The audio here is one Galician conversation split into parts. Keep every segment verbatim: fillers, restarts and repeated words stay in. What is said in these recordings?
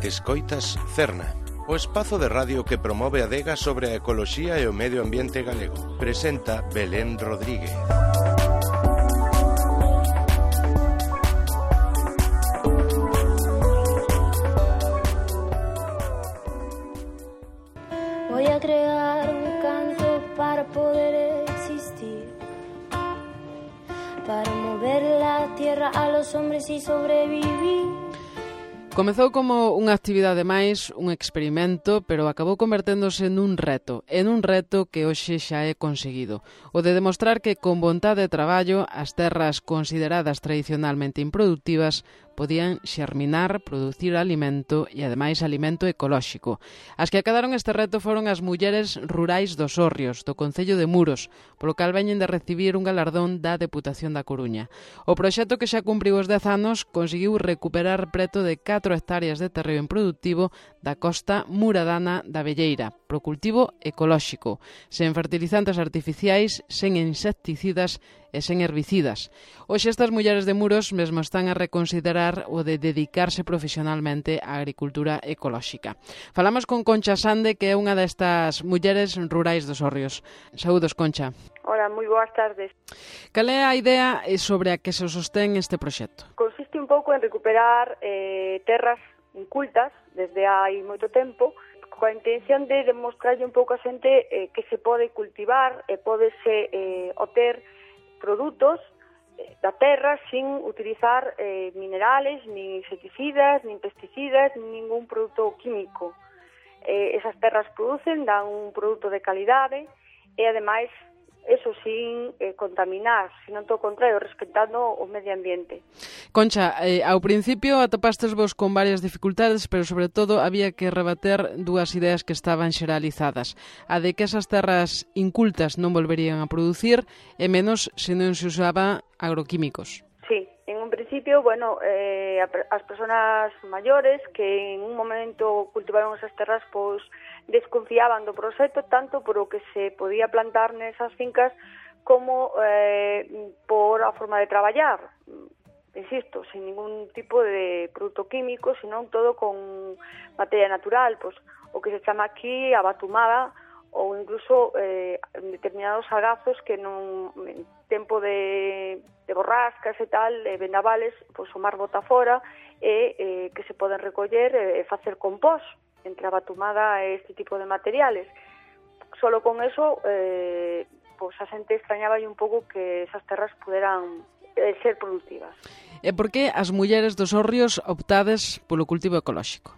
Escoitas Cerna, o espazo de radio que promove a adega sobre a ecoloxía e o medio ambiente galego. Presenta Belén Rodríguez. Voy a crear un canto para poder existir, para mover la tierra a los hombres y sobrevivir. Comezou como unha actividade máis, un experimento, pero acabou converténdose nun reto, en un reto que hoxe xa é conseguido. O de demostrar que con vontade de traballo as terras consideradas tradicionalmente improductivas podían xerminar, producir alimento e, ademais, alimento ecolóxico. As que acadaron este reto foron as mulleres rurais dos Hórreos, do Concello de Muros, polo cal veñen de recibir un galardón da Deputación da Coruña. O proxecto, que xa cumpriu os dez anos, conseguiu recuperar preto de catro hectáreas de terreo improdutivo da costa muradana da Velleira, pro cultivo ecolóxico, sen fertilizantes artificiais, sen insecticidas e sen herbicidas. Hoxe estas mulleres de Muros mesmo están a reconsiderar o de dedicarse profesionalmente á agricultura ecolóxica. Falamos con Concha Sande, que é unha destas mulleres rurais dos Hórreos. Saúdos, Concha. Hola, moi boas tardes. Cal é a idea sobre a que se sostén este proxecto? Consiste un pouco en recuperar eh, terras incultas desde hai moito tempo, coa intención de demostrarlle un pouco a xente eh, que se pode cultivar e pódese eh, obter produtos eh, da terra sin utilizar eh, minerales, nin insecticidas, nin pesticidas, nin ningún produto químico. Eh, esas terras producen, dan un produto de calidade e, ademais, eso sin eh, contaminar, sino todo o contrario, respetando o medio ambiente. Concha, eh, ao principio atopastes vos con varias dificultades, pero sobre todo había que rebater dúas ideas que estaban xeralizadas. A de que esas terras incultas non volverían a producir, e menos se non se usaba agroquímicos. Sí, en un principio, bueno, eh, as persoas maiores que en un momento cultivaron esas terras, pois desconfiaban do proxecto tanto por o que se podía plantar nesas fincas como eh, por a forma de traballar. Insisto, sin ningún tipo de produto químico, senón todo con materia natural, pois o que se chama aquí a batumada, ou incluso eh, determinados agazos que non, en tempo de, de borrascas e tal, e vendavales, pois o mar bota fora e eh, que se poden recoller e facer compós entre a batumada e este tipo de materiales. Solo con eso, eh, pois a xente extrañaba un pouco que esas terras puderan eh, ser productivas. E por que as mulleres dos Hórreos optades polo cultivo ecolóxico?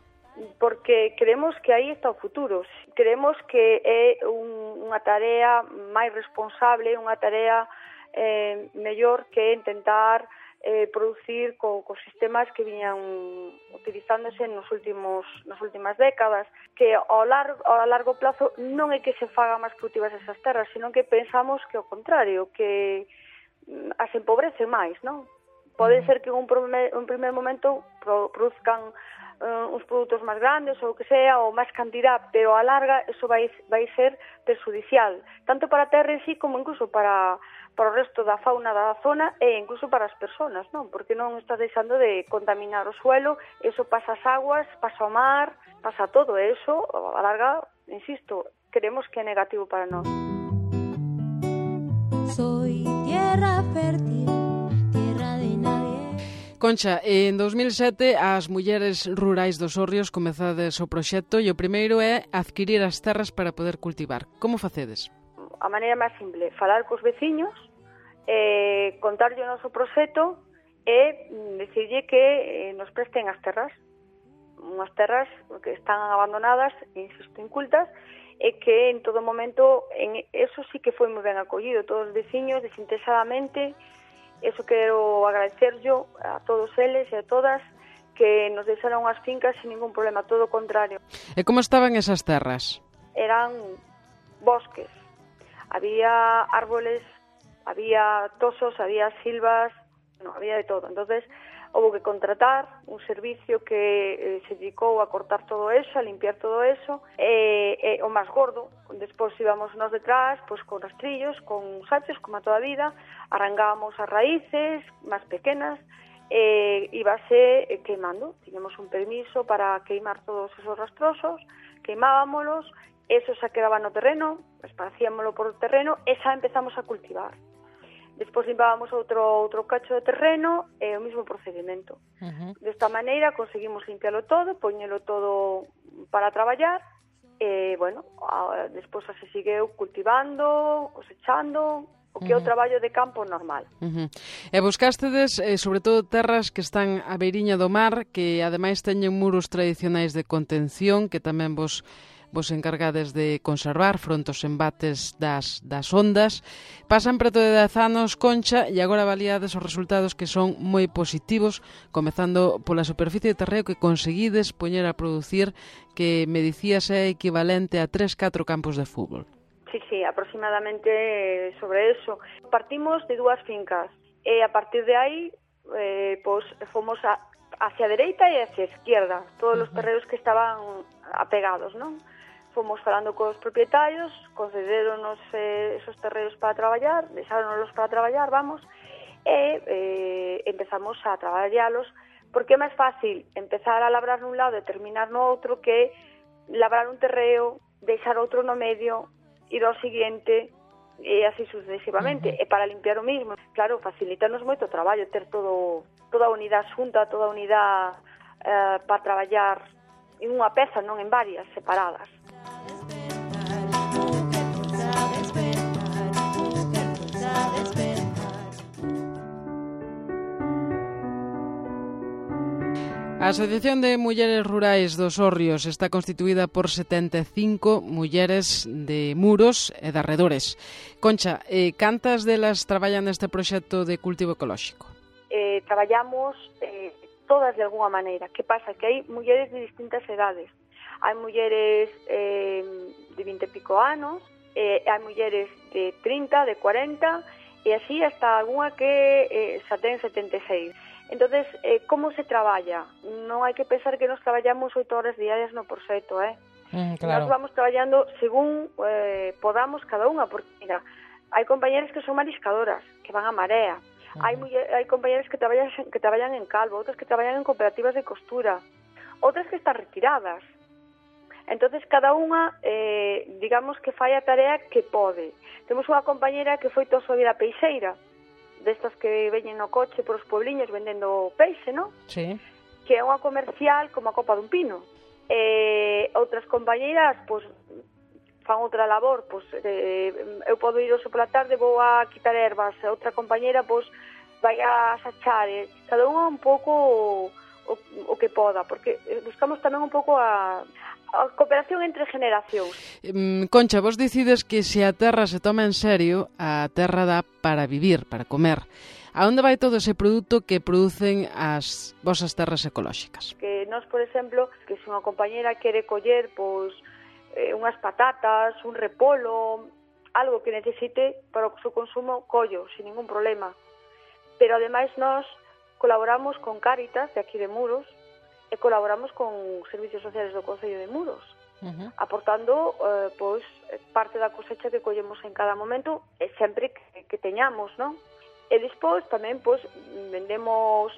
Porque creemos que aí está o futuro. Creemos que é un, unha tarea máis responsable, unha tarea eh, mellor que intentar eh, producir co, co sistemas que viñan utilizándose nos últimos nas últimas décadas, que ao largo, ao largo plazo non é que se faga máis productivas esas terras, sino que pensamos que ao contrario, que as empobrecen máis, non? Pode ser que en un primer, un primer momento pro, produzcan Uh, uns produtos máis grandes ou o que sea, ou máis cantidad, pero a larga eso vai, vai ser perjudicial, tanto para a terra en sí como incluso para, para o resto da fauna da zona e incluso para as persoas, non? Porque non estás deixando de contaminar o suelo, eso pasa as aguas, pasa o mar, pasa todo, e eso, a larga, insisto, creemos que é negativo para nós. Soy tierra fértil, tierra de nadie. Concha, en dos mil sete as mulleres rurais dos Hórreos comezades o proxecto e o primeiro é adquirir as terras para poder cultivar. Como facedes? A maneira máis simple, falar cos veciños, eh, contarlle o noso proxecto e decirlle que eh, nos presten as terras. Unhas terras que están abandonadas, insisto, incultas, e que en todo momento, en eso sí que foi moi ben acollido, todos os veciños, desinteresadamente. Eso quero agradecer yo a todos eles e a todas que nos deixaron as fincas sin ningún problema, todo o contrario. E como estaban esas terras? Eran bosques, había árboles, había tosos, había silvas, no, había de todo. Entonces, houve que contratar un servicio que eh, se dedicou a cortar todo eso, a limpiar todo eso, e, e o máis gordo, despois íbamos nós detrás, pois con rastrillos, con sachos, como a toda a vida, arrancábamos as raíces máis pequenas, e íbase queimando. Tiñamos un permiso para queimar todos esos rastrosos, queimábamos, eso xa quedaba no terreno, esparcíamolo por o terreno e xa empezamos a cultivar. Despois limpábamos outro outro cacho de terreno e o mesmo procedimento. Uh-huh. Desta maneira conseguimos limpialo todo, poñelo todo para traballar e, bueno, a, despois se segueu cultivando, cosechando, o que é o traballo de campo normal. Uh-huh. E buscastedes, eh, sobre todo, terras que están á beiriña do mar, que ademais teñen muros tradicionais de contención, que tamén vos vos encargades de conservar fronte aos embates das, das ondas. Pasan preto de dez anos, Concha, e agora avaliades os resultados que son moi positivos, comezando pola superficie de terreo que conseguides poñer a producir, que me dicías é equivalente a tres, catro campos de fútbol. Sí, sí, aproximadamente sobre eso. Partimos de dúas fincas e a partir de aí eh, pues, fomos a, hacia a dereita e hacia a izquierda, todos os terreos que estaban apegados, non? Fomos falando cos propietarios, concederonos eh, esos terreos para traballar, deixáronos para traballar, vamos, e eh, empezamos a traballalos, porque é máis fácil empezar a labrar nun lado e terminar no outro que labrar un terreo, deixar outro no medio, ir ao seguinte e así sucesivamente. Uh-huh. E para limpiar o mismo, claro, facilitanos moito o traballo, ter todo, toda a unidade xunta, toda a unidade eh, para traballar en unha peza, non en varias, separadas. A Asociación de Mulleres Rurais dos Hórreos está constituída por setenta e cinco mulleres de Muros e de arredores. Concha, eh, cantas delas traballan neste proxecto de cultivo ecolóxico? Eh, traballamos eh, todas de alguna maneira. Que pasa? Que hai mulleres de distintas edades. Hai mulleres eh, de vinte e pico anos, eh, hai mulleres de trinta, de cuarenta, e así hasta alguna que eh, xa ten setenta e seis. Entonces, eh, como se traballa? Non hai que pensar que nos traballamos oito horas diarias no proxecto, eh? Mm, claro. Nos vamos traballando según eh, podamos cada unha, porque, mira, hai compañeras que son mariscadoras, que van a marea, uh-huh. hai, muller, hai compañeras que traballan, que traballan en calvo, outras que traballan en cooperativas de costura, outras que están retiradas. Entonces, cada unha, eh, digamos que fai a tarea que pode. Temos unha compañera que foi toda a súa vida peixeira, destas que veñen no coche por os puebliños vendendo peixe, non? Sí. Que é unha comercial como a copa dun pino. E outras compañeiras, pois, fan outra labor, pois, eh, eu podo ir hoxe pola tarde, vou a quitar ervas, e outra compañeira, pois, vai a sachar, e cada unha un pouco o, o que poda, porque buscamos tamén un pouco a... a cooperación entre generacións. Concha, vos decides que se a terra se toma en serio, a terra dá para vivir, para comer. A onde vai todo ese produto que producen as vosas terras ecolóxicas? Que nós, por exemplo, que se unha compañera quere coller pois, eh, unhas patatas, un repolo, algo que necesite para o seu consumo, collo, sin ningún problema. Pero ademais nós colaboramos con Cáritas, de aquí de Muros, e colaboramos con servicios sociales do Concello de Muros, uh-huh. aportando eh, pois, parte da cosecha que collemos en cada momento, e sempre que, que teñamos, non? E despois tamén pois, vendemos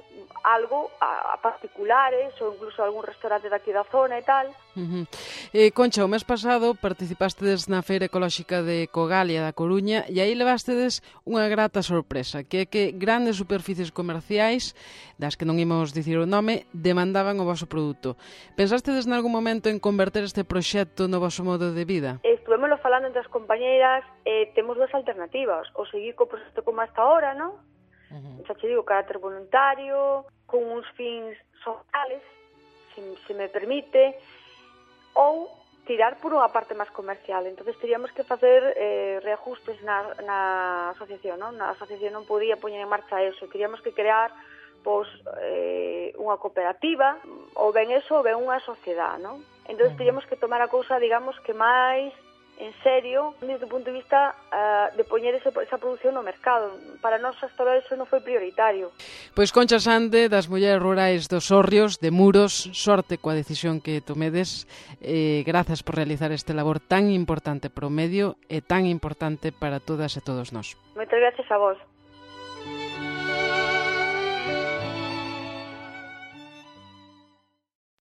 algo a, a particulares ou incluso a algún restaurante daqui da zona e tal. Uh-huh. eh, Concha, o mes pasado participástedes na Feira Ecolóxica de Cogalia da Coruña e aí levástedes unha grata sorpresa, que é que grandes superficies comerciais, das que non imos dicir o nome, demandaban o voso produto. Pensástedes nalgún momento en converter este proxecto no voso modo de vida? Estuvémoslo falando entre as compañeiras, eh, temos dúas alternativas, ou seguir co proxecto como hasta ahora, non? Uh-huh. Xa che digo, carácter voluntario, con uns fins sociales, se, se me permite, ou tirar por unha parte máis comercial. Entonces teríamos que facer eh, reajustes na, na asociación, non? Na asociación non podía poñer en marcha eso, teríamos que crear pois, eh, unha cooperativa, ou ben eso, ou ben unha sociedade, non? Entón, teríamos que tomar a cousa, digamos, que máis en serio, desde o punto de vista uh, de poñer ese, esa produción no mercado. Para nós, hasta ahora, eso non foi prioritario. Pois Concha Sande, das Mulleres Rurais dos Hórreos, de Muros, sorte coa decisión que tomedes. Eh, grazas por realizar este labor tan importante para o medio e tan importante para todas e todos nós. Moitas gracias a vos.